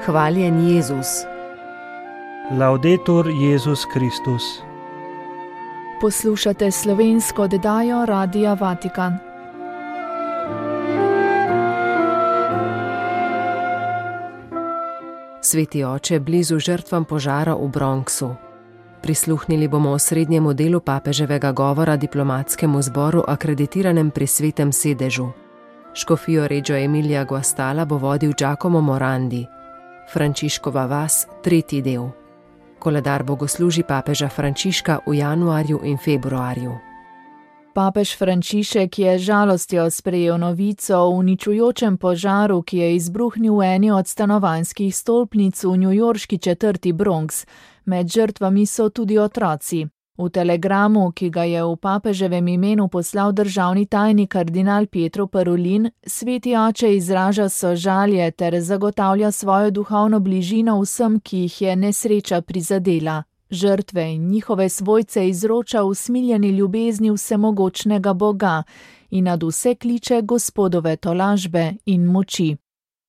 Hvaljen Jezus. Laudetur Jezus Kristus. Poslušate slovensko oddajo Radia Vatikan. Sveti oče, blizu žrtvam požara v Bronxu. Prisluhnili bomo osrednjemu delu papeževega govora diplomatskemu zboru akreditiranem pri Svetem sedežu. Škofijo Reggio Emilia Guastalla bo vodil Giacomo Morandi. Frančiškova vas, 3. del. Koledar bogoslužij papeža Frančiška v januarju in februarju. Papež Frančišek je žalostjo sprejel novico o uničujočem požaru, ki je izbruhnil v eni od stanovanjskih stolpnic v newyorški četrti Bronx. Med žrtvami so tudi otroci. V telegramu, ki ga je v papeževem imenu poslal državni tajnik kardinal Pietro Parolin, sveti oče izraža sožalje ter zagotavlja svojo duhovno bližino vsem, ki jih je nesreča prizadela. Žrtve in njihove svojce izroča v smiljeni ljubezni vsemogočnega Boga in nad vse kliče Gospodove tolažbe in moči.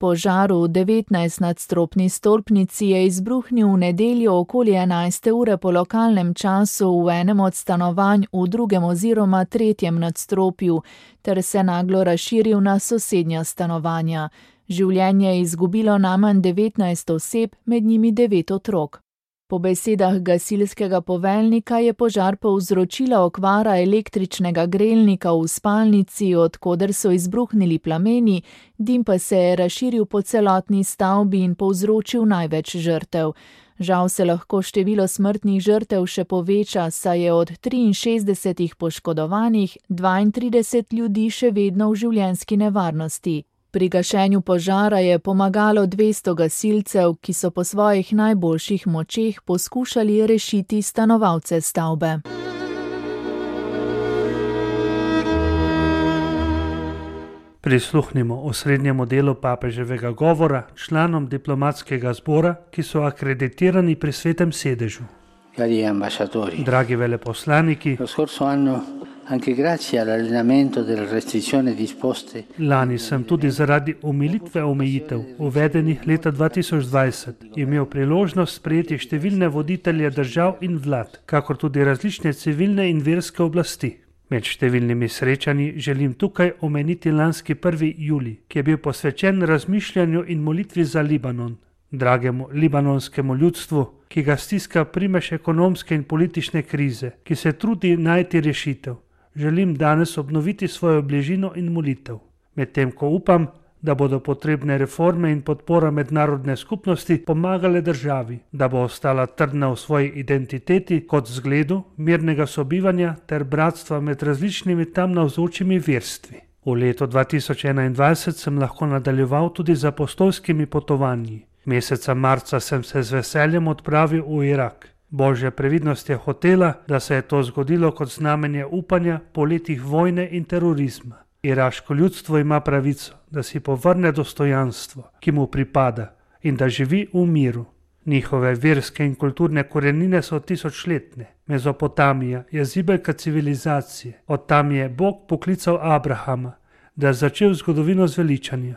Požar v 19-nadstropni stolpnici je izbruhnil v nedeljo okoli 11. ure po lokalnem času v enem od stanovanj v drugem oziroma tretjem nadstropju, ter se naglo razširil na sosednja stanovanja. Življenje je izgubilo najmanj 19 oseb, med njimi 9 otrok. Po besedah gasilskega poveljnika je požar povzročila okvara električnega grelnika v spalnici, od koder so izbruhnili plameni, dim pa se je razširil po celotni stavbi in povzročil največ žrtev. Žal se lahko število smrtnih žrtev še poveča, saj je od 63 poškodovanih 32 ljudi še vedno v življenjski nevarnosti. Pri gašenju požara je pomagalo 200 gasilcev, ki so po svojih najboljših močeh poskušali rešiti stanovalce stavbe. Prisluhnimo osrednjemu delu papeževega govora članom diplomatskega zbora, ki so akreditirani pri Svetem sedežu. Dragi veleposlaniki, lani sem tudi zaradi omilitve omejitev, uvedenih leta 2020, imel priložnost sprejeti številne voditelje držav in vlad, kakor tudi različne civilne in verske oblasti. Med številnimi srečanji želim tukaj omeniti lanski 1. julij, ki je bil posvečen razmišljanju in molitvi za Libanon, dragemu libanonskemu ljudstvu, ki ga stiska primež ekonomske in politične krize, ki se trudi najti rešitev. Želim danes obnoviti svojo bližino in molitev, medtem ko upam, da bodo potrebne reforme in podpora mednarodne skupnosti pomagale državi, da bo ostala trdna v svoji identiteti kot zgledu mirnega sobivanja ter bratstva med različnimi tam navzočimi verstvi. V letu 2021 sem lahko nadaljeval tudi z apostolskimi potovanji. Meseca marca sem se z veseljem odpravil v Irak. Božja previdnost je hotela, da se je to zgodilo kot znamenje upanja po letih vojne in terorizma. Iraško ljudstvo ima pravico, da si povrne dostojanstvo, ki mu pripada, in da živi v miru. Njihove verske in kulturne korenine so tisočletne. Mezopotamija je zibelka civilizacije. Od tam je Bog poklical Abrahama, da je začel zgodovino zveličanja.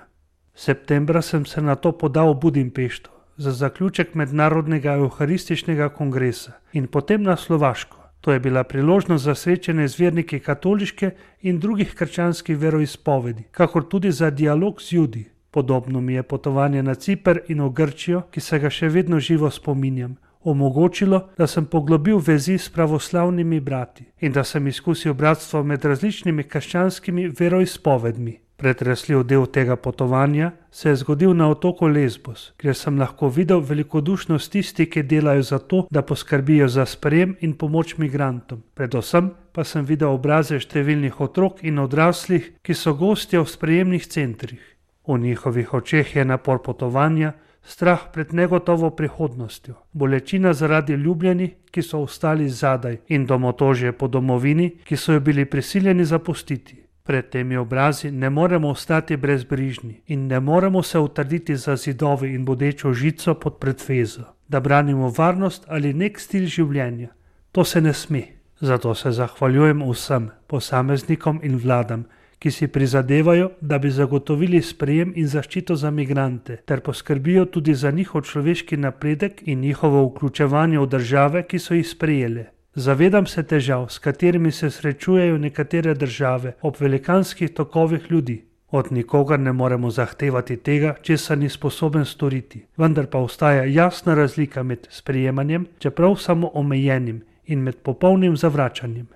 Septembra sem se nato podal v Budimpešto za zaključek mednarodnega evharističnega kongresa in potem na Slovaško. To je bila priložnost za srečanje z verniki katoliške in drugih krščanskih veroizpovedi, kakor tudi za dialog z Judi. Podobno mi je potovanje na Ciper in v Grčijo, ki se ga še vedno živo spominjam, omogočilo, da sem poglobil vezi s pravoslavnimi brati in da sem izkusil bratstvo med različnimi krščanskimi veroizpovedmi. Pretresljiv del tega potovanja se je zgodil na otoku Lesbos, kjer sem lahko videl velikodušnost tistih, ki delajo za to, da poskrbijo za sprejem in pomoč migrantom. Predvsem pa sem videl obraze številnih otrok in odraslih, ki so gostje v sprejemnih centrih. V njihovih očeh je napor potovanja, strah pred negotovo prihodnostjo, bolečina zaradi ljubljenih, ki so ostali zadaj, in domotožje po domovini, ki so jo bili prisiljeni zapustiti. Pred temi obrazi ne moremo ostati brezbrižni in ne moremo se utrditi za zidovi in bodečo žico pod pretvezo, da branimo varnost ali nek stil življenja. To se ne sme. Zato se zahvaljujem vsem posameznikom in vladam, ki si prizadevajo, da bi zagotovili sprejem in zaščito za migrante, ter poskrbijo tudi za njihov človeški napredek in njihovo vključevanje v države, ki so jih sprejele. Zavedam se težav, s katerimi se srečujejo nekatere države ob velikanskih tokovih ljudi. Od nikogar ne moremo zahtevati tega, česar ni sposoben storiti, vendar pa obstaja jasna razlika med sprejemanjem, čeprav samo omejenim, in med popolnim zavračanjem.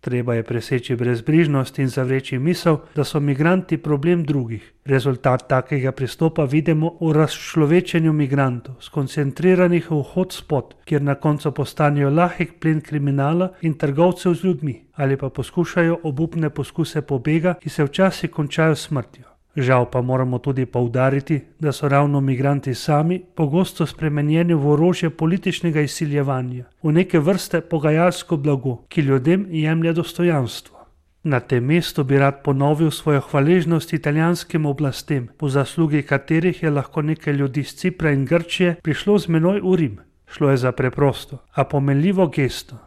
Treba je preseči brezbrižnost in zavreči misel, da so migranti problem drugih. Rezultat takega pristopa vidimo v razčlovečenju migrantov, skoncentriranih v hotspot, kjer na koncu postanejo lahek plen kriminala in trgovcev z ljudmi, ali pa poskušajo obupne poskuse pobega, ki se včasih končajo s smrtjo. Žal pa moramo tudi poudariti, da so ravno migranti sami pogosto spremenjeni v orožje političnega izsiljevanja, v neke vrste pogajalsko blago, ki ljudem jemlje dostojanstvo. Na tem mestu bi rad ponovil svojo hvaležnost italijanskim oblastem, po zaslugi katerih je lahko nekaj ljudi z Cipra in Grčije prišlo z menoj v Rim. Šlo je za preprosto, a pomenljivo gesto.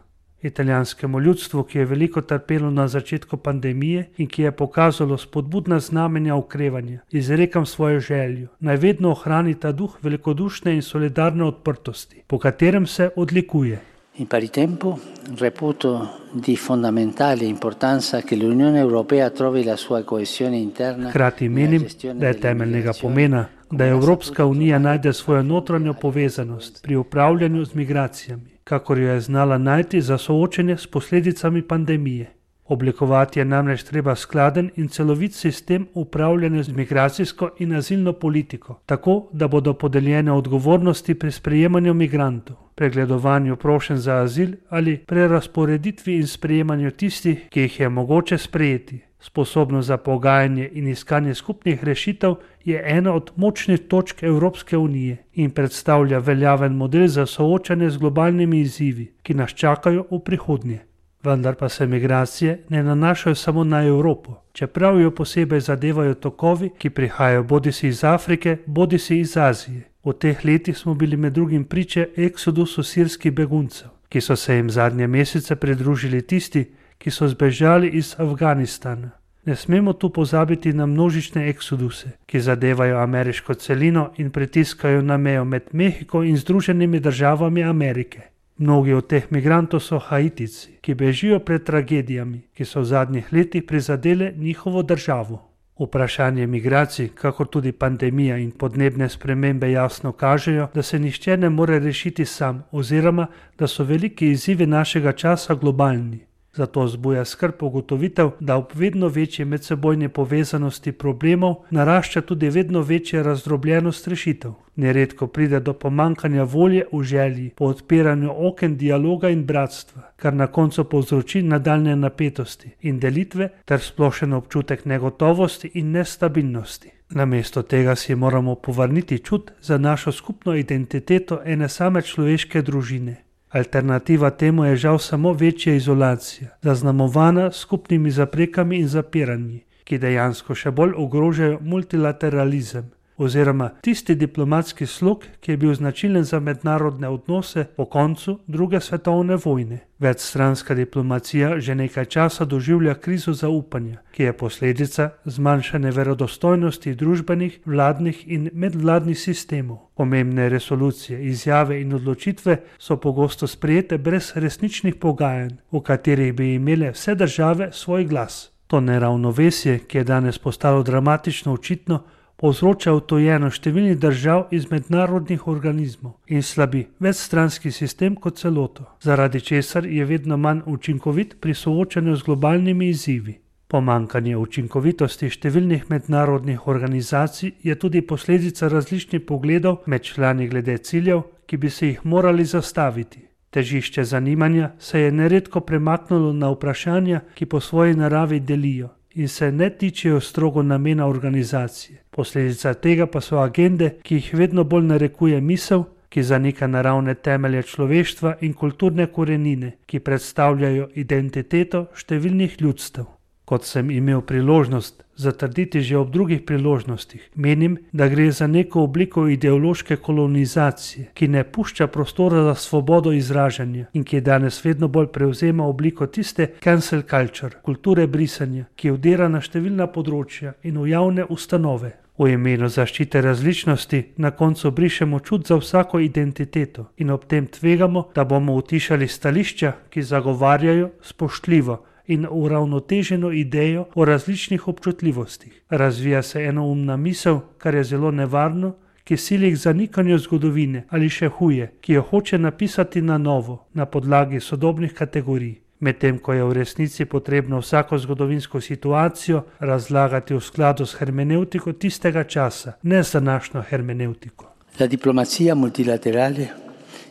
Italijanskemu ljudstvu, ki je veliko trpelo na začetku pandemije in ki je pokazalo spodbudna znamenja okrevanja, izrekam svojo željo, naj vedno ohrani ta duh velikodušne in solidarne odprtosti, po katerem se odlikuje. In pari tempo reputo di fondamentale importanza che l'Unione Europea trovi la sua coesione interna. Hkrati menim, da je temeljnega pomena, da Evropska unija najde svojo notranjo povezanost pri upravljanju z migracijami, kakor jo je znala najti za soočenje s posledicami pandemije. Oblikovati je namreč treba skladen in celovit sistem upravljanja z migracijsko in azilno politiko, tako da bodo podeljene odgovornosti pri sprejemanju migrantov, pregledovanju prošenj za azil ali prerazporeditvi in sprejemanju tistih, ki jih je mogoče sprejeti. Sposobnost za pogajanje in iskanje skupnih rešitev je ena od močnih točk Evropske unije in predstavlja veljaven model za soočanje z globalnimi izzivi, ki nas čakajo v prihodnje. Vendar pa se migracije ne nanašajo samo na Evropo, čeprav jo posebej zadevajo tokovi, ki prihajajo bodisi iz Afrike, bodisi iz Azije. V teh letih smo bili med drugim priče eksodusu sirskih beguncev, ki so se jim zadnje mesece pridružili tisti, ki so zbežali iz Afganistana. Ne smemo tu pozabiti na množične eksoduse, ki zadevajo ameriško celino in pritiskajo na mejo med Mehiko in Združenimi državami Amerike. Mnogi od teh migrantov so Haitici, ki bežijo pred tragedijami, ki so v zadnjih letih prizadele njihovo državo. Vprašanje migracij, kakor tudi pandemija in podnebne spremembe jasno kažejo, da se nihče ne more rešiti sam oziroma da so veliki izzivi našega časa globalni. Zato zbuja skrb ugotovitev, da ob vedno večji medsebojni povezanosti problemov narašča tudi vedno večja razdrobljenost rešitev. Neredko pride do pomankanja volje v želji po odpiranju oken dialoga in bratstva, kar na koncu povzroči nadaljne napetosti in delitve ter splošen občutek negotovosti in nestabilnosti. Namesto tega si moramo povrniti čut za našo skupno identiteto ene same človeške družine. Alternativa temu je žal samo večja izolacija, zaznamovana s skupnimi zaprekami in zapiranji, ki dejansko še bolj ogrožajo multilateralizem oziroma tisti diplomatski slog, ki je bil značilen za mednarodne odnose po koncu druge svetovne vojne. Večstranska diplomacija že nekaj časa doživlja krizo zaupanja, ki je posledica zmanjšane verodostojnosti družbenih, vladnih in medvladnih sistemov. Pomembne resolucije, izjave in odločitve so pogosto sprejete brez resničnih pogajanj, v katerih bi imele vse države svoj glas. To neravnovesje, ki je danes postalo dramatično očitno, povzroča odtujenost številnih držav iz mednarodnih organizmov in slabi večstranski sistem kot celoto, zaradi česar je vedno manj učinkovit pri soočanju z globalnimi izzivi. Pomankanje učinkovitosti številnih mednarodnih organizacij je tudi posledica različnih pogledov med člani glede ciljev, ki bi se jih morali zastaviti. Težišče zanimanja se je neredko premaknilo na vprašanja, ki po svoji naravi delijo in se ne tičejo strogo namena organizacije. Posledica tega pa so agende, ki jih vedno bolj narekuje misel, ki zanika naravne temelje človeštva in kulturne korenine, ki predstavljajo identiteto številnih ljudstev. Kot sem imel priložnost zatrditi že ob drugih priložnostih, menim, da gre za neko obliko ideološke kolonizacije, ki ne pušča prostora za svobodo izražanja in ki danes vedno bolj prevzema obliko tiste cancel culture, kulture brisanja, ki vdira na številna področja in v javne ustanove. V imenu zaščite različnosti na koncu brišemo čut za vsako identiteto in ob tem tvegamo, da bomo utišali stališča, ki zagovarjajo spoštljivo in uravnoteženo idejo o različnih občutljivostih. Razvija se enoumna misel, kar je zelo nevarno, ki sili k zanikanju zgodovine ali še huje, ki jo hoče napisati na novo, na podlagi sodobnih kategorij. Medtem ko je v resnici potrebno vsako zgodovinsko situacijo razlagati v skladu s hermeneutiko tistega časa, ne z današnjo hermeneutiko. La diplomazia multilaterale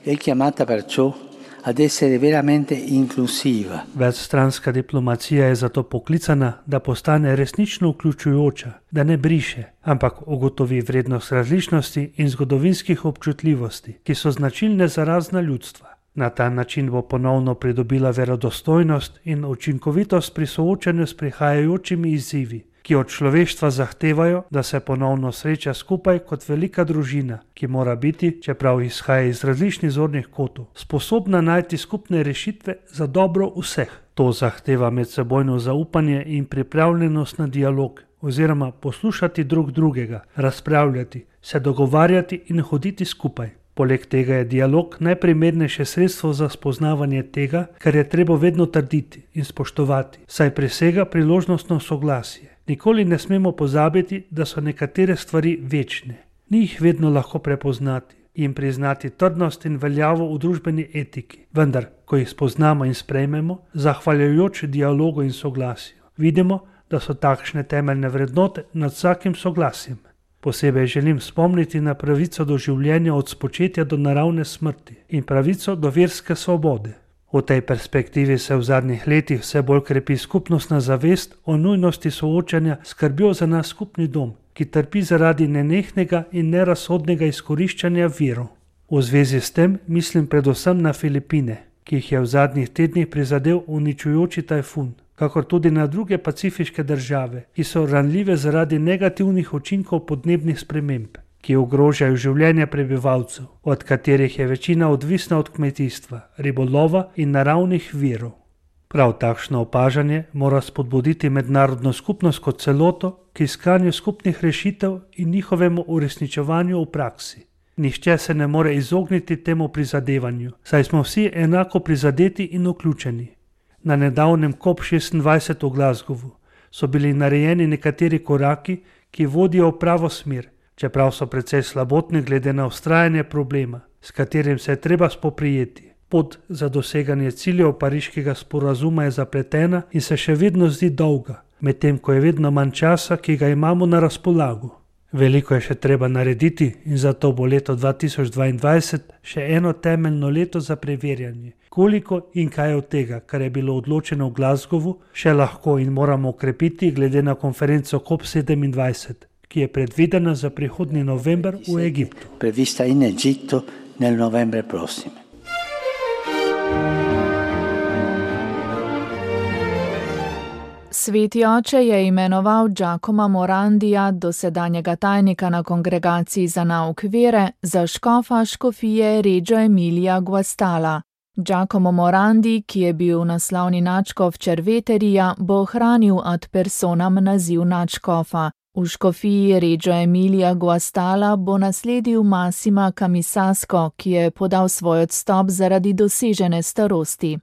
è chiamata perciò ad essere veramente inclusiva. Večstranska diplomacija je zato poklicana, da postane resnično vključujoča, da ne briše, ampak ugotovi vrednost različnosti in zgodovinskih občutljivosti, ki so značilne za razna ljudstva. Na ta način bo ponovno pridobila verodostojnost in učinkovitost pri soočanju s prihajajočimi izzivi, ki od človeštva zahtevajo, da se ponovno sreča skupaj kot velika družina, ki mora biti, čeprav izhaja iz različnih zornih kotov, sposobna najti skupne rešitve za dobro vseh. To zahteva medsebojno zaupanje in pripravljenost na dialog, oziroma poslušati drug drugega, razpravljati, se dogovarjati in hoditi skupaj. Poleg tega je dialog najprimernejše sredstvo za spoznavanje tega, kar je treba vedno trditi in spoštovati, saj presega priložnostno soglasje. Nikoli ne smemo pozabiti, da so nekatere stvari večne. Ni jih vedno lahko prepoznati in priznati trdnost in veljavo v družbeni etiki. Vendar, ko jih spoznamo in sprejmemo, zahvaljujoč dialogu in soglasju, vidimo, da so takšne temeljne vrednote nad vsakim soglasjem. Posebej želim spomniti na pravico do življenja od spočetja do naravne smrti in pravico do verske svobode. V tej perspektivi se v zadnjih letih vse bolj krepi skupnostna zavest o nujnosti soočanja s skrbjo za naš skupni dom, ki trpi zaradi nenehnega in nerazsodnega izkoriščanja virov. V zvezi s tem mislim predvsem na Filipine, ki jih je v zadnjih tednih prizadel uničujoči tajfun, kakor tudi na druge pacifiške države, ki so ranljive zaradi negativnih učinkov podnebnih sprememb, ki ogrožajo življenje prebivalcev, od katerih je večina odvisna od kmetijstva, ribolova in naravnih virov. Prav takšno opažanje mora spodbuditi mednarodno skupnost kot celoto k iskanju skupnih rešitev in njihovemu uresničevanju v praksi. Nihče se ne more izogniti temu prizadevanju, saj smo vsi enako prizadeti in vključeni. Na nedavnem COP26 v Glasgowu so bili narejeni nekateri koraki, ki vodijo v pravo smer, čeprav so precej slabotni glede na vztrajanje problema, s katerim se je treba spoprijeti. Pot za doseganje ciljev pariškega sporazuma je zapletena in se še vedno zdi dolga, medtem ko je vedno manj časa, ki ga imamo na razpolago. Veliko je še treba narediti in zato bo leto 2022 še eno temeljno leto za preverjanje, koliko in kaj od tega, kar je bilo odločeno v Glasgowu, še lahko in moramo okrepiti glede na konferenco COP27, ki je predvidena za prihodnji november v Egiptu. Prevista in Egitto nel novembre prossimo. Sveti oče je imenoval Giacomo Morandija, dosedanjega tajnika na Kongregaciji za nauk vere, za škofa škofije Reggio Emilia Guastalla. Giacomo Morandi, ki je bil naslovni nadškof Cerveterija, bo ohranil ad personam naziv nadškofa. V škofiji Reggio Emilia Guastalla bo nasledil Massima Camisasco, ki je podal svoj odstop zaradi dosežene starosti.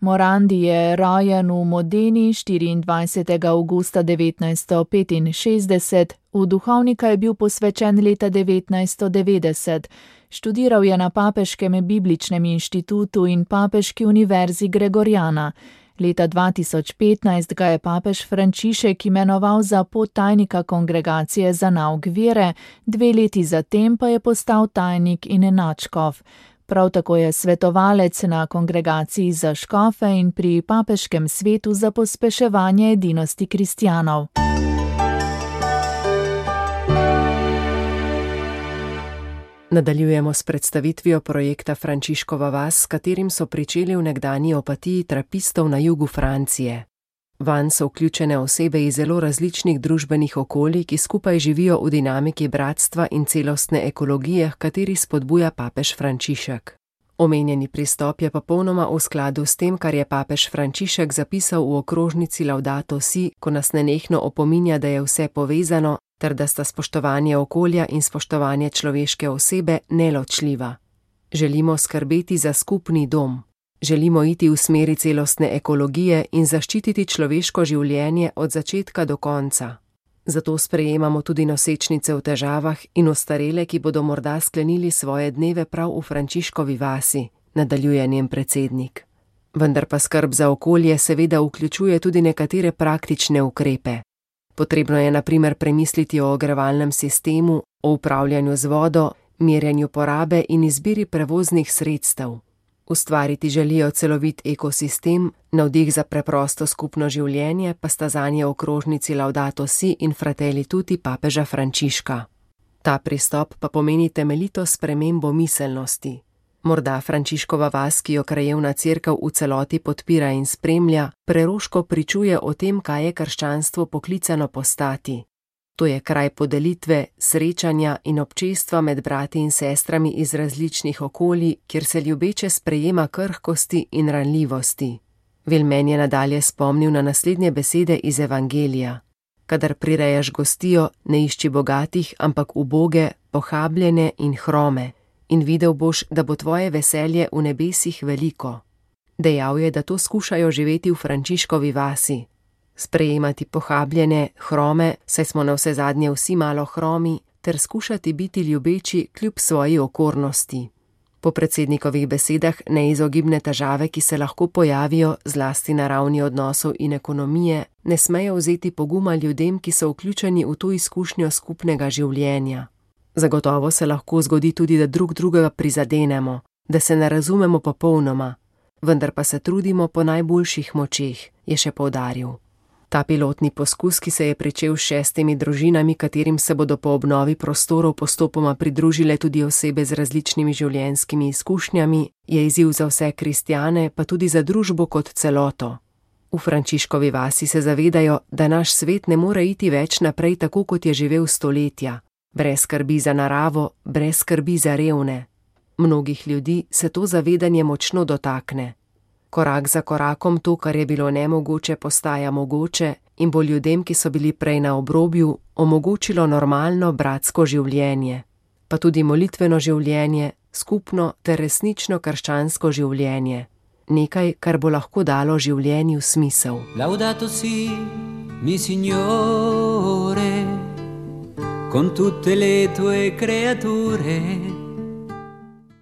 Morandi je rojen v Modeni 24. avgusta 1965, v duhovnika je bil posvečen leta 1990, študiral je na Papeškem bibličnem inštitutu in Papeški univerzi Gregoriana. Leta 2015 ga je papež Frančišek imenoval za podtajnika Kongregacije za nauk vere, 2 leti zatem pa je postal tajnik in nadškof. Prav tako je svetovalec na Kongregaciji za škofe in pri Papeškem svetu za pospeševanje edinosti kristjanov. Nadaljujemo s predstavitvijo projekta Frančiškova vas, s katerim so pričeli v nekdanji Opatiji trapistov na jugu Francije. Vanj so vključene osebe iz zelo različnih družbenih okolij, ki skupaj živijo v dinamiki bratstva in celostne ekologije, kateri spodbuja papež Frančišek. Omenjeni pristop je popolnoma v skladu s tem, kar je papež Frančišek zapisal v okrožnici Laudato Si, ko nas nenehno opominja, da je vse povezano, ter da sta spoštovanje okolja in spoštovanje človeške osebe neločljiva. Želimo skrbeti za skupni dom. Želimo iti v smeri celostne ekologije in zaščititi človeško življenje od začetka do konca. Zato sprejemamo tudi nosečnice v težavah in ostarele, ki bodo morda sklenili svoje dneve prav v Frančiškovi vasi, nadaljuje njen predsednik. Vendar pa skrb za okolje seveda vključuje tudi nekatere praktične ukrepe. Potrebno je na primer premisliti o ogrevalnem sistemu, o upravljanju z vodo, merjenju porabe in izbiri prevoznih sredstev. Ustvariti želijo celovit ekosistem, navdih za preprosto skupno življenje pa sta zanje okrožnici Laudato Si in Fratelli Tutti papeža Frančiška. Ta pristop pa pomeni temeljito spremembo miselnosti. Morda Frančiškova vas, ki jo krajevna cerkev v celoti podpira in spremlja, preroško pričuje o tem, kaj je krščanstvo poklicano postati. To je kraj podelitve, srečanja in občestva med brati in sestrami iz različnih okolij, kjer se ljubeče sprejema krhkosti in ranljivosti. Velmen je nadalje spomnil na naslednje besede iz Evangelija. Kadar prirejaš gostijo, ne išči bogatih, ampak uboge, pohabljene in hrome. In videl boš, da bo tvoje veselje v nebesih veliko. Dejal je, da to skušajo živeti v Frančiškovi vasi. Sprejemati pohabljene, hrome, saj smo navsezadnje vsi malo hromi, ter skušati biti ljubeči kljub svoji okornosti. Po predsednikovih besedah neizogibne težave, ki se lahko pojavijo zlasti na ravni odnosov in ekonomije, ne smejo vzeti poguma ljudem, ki so vključeni v to izkušnjo skupnega življenja. Zagotovo se lahko zgodi tudi, da drug drugega prizadenemo, da se ne razumemo popolnoma, vendar pa se trudimo po najboljših močeh, je še poudaril. Ta pilotni poskus, ki se je pričel s 6 družinami, katerim se bodo po obnovi prostorov postopoma pridružile tudi osebe z različnimi življenjskimi izkušnjami, je izziv za vse kristjane, pa tudi za družbo kot celoto. V Frančiškovi vasi se zavedajo, da naš svet ne more iti več naprej tako, kot je živel stoletja, brez skrbi za naravo, brez skrbi za revne. Mnogih ljudi se to zavedanje močno dotakne. Korak za korakom to, kar je bilo nemogoče, postaja mogoče in bo ljudem, ki so bili prej na obrobju, omogočilo normalno bratsko življenje, pa tudi molitveno življenje, skupno ter resnično krščansko življenje. Nekaj, kar bo lahko dalo življenju smisel. Laudato si, mi signore, con tutte le tue creature.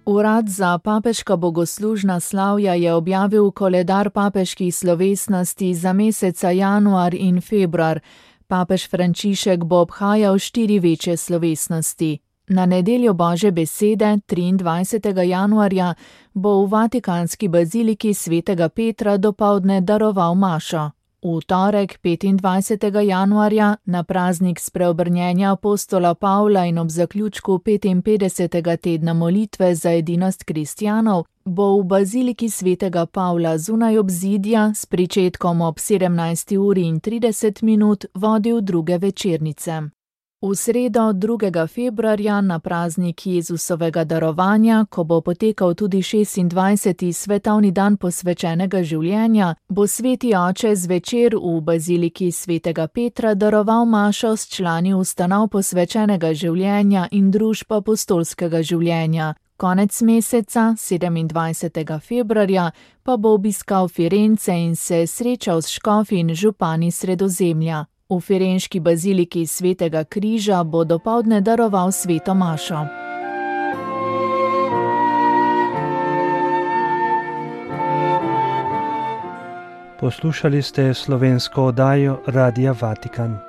Urad za papeška bogoslužna slavja je objavil koledar papeških slovesnosti za meseca januar in februar. Papež Frančišek bo obhajal 4 večje slovesnosti. Na nedeljo Božje besede, 23. januarja, bo v Vatikanski baziliki svetega Petra dopoldne daroval mašo. V torek, 25. januarja, na praznik spreobrnjenja apostola Pavla in ob zaključku 55. tedna molitve za edinost kristjanov, bo v baziliki svetega Pavla zunaj obzidja s pričetkom ob 17:30 vodil druge večernice. V sredo 2. februarja na praznik Jezusovega darovanja, ko bo potekal tudi 26. svetovni dan posvečenega življenja, bo sveti oče zvečer v baziliki svetega Petra daroval mašo s člani ustanov posvečenega življenja in družb apostolskega življenja. Konec meseca, 27. februarja, pa bo obiskal Firence in se srečal s škofi in župani Sredozemlja. V firenški baziliki svetega križa bo dopoldne daroval sveto mašo. Poslušali ste slovensko oddajo Radia Vatikan.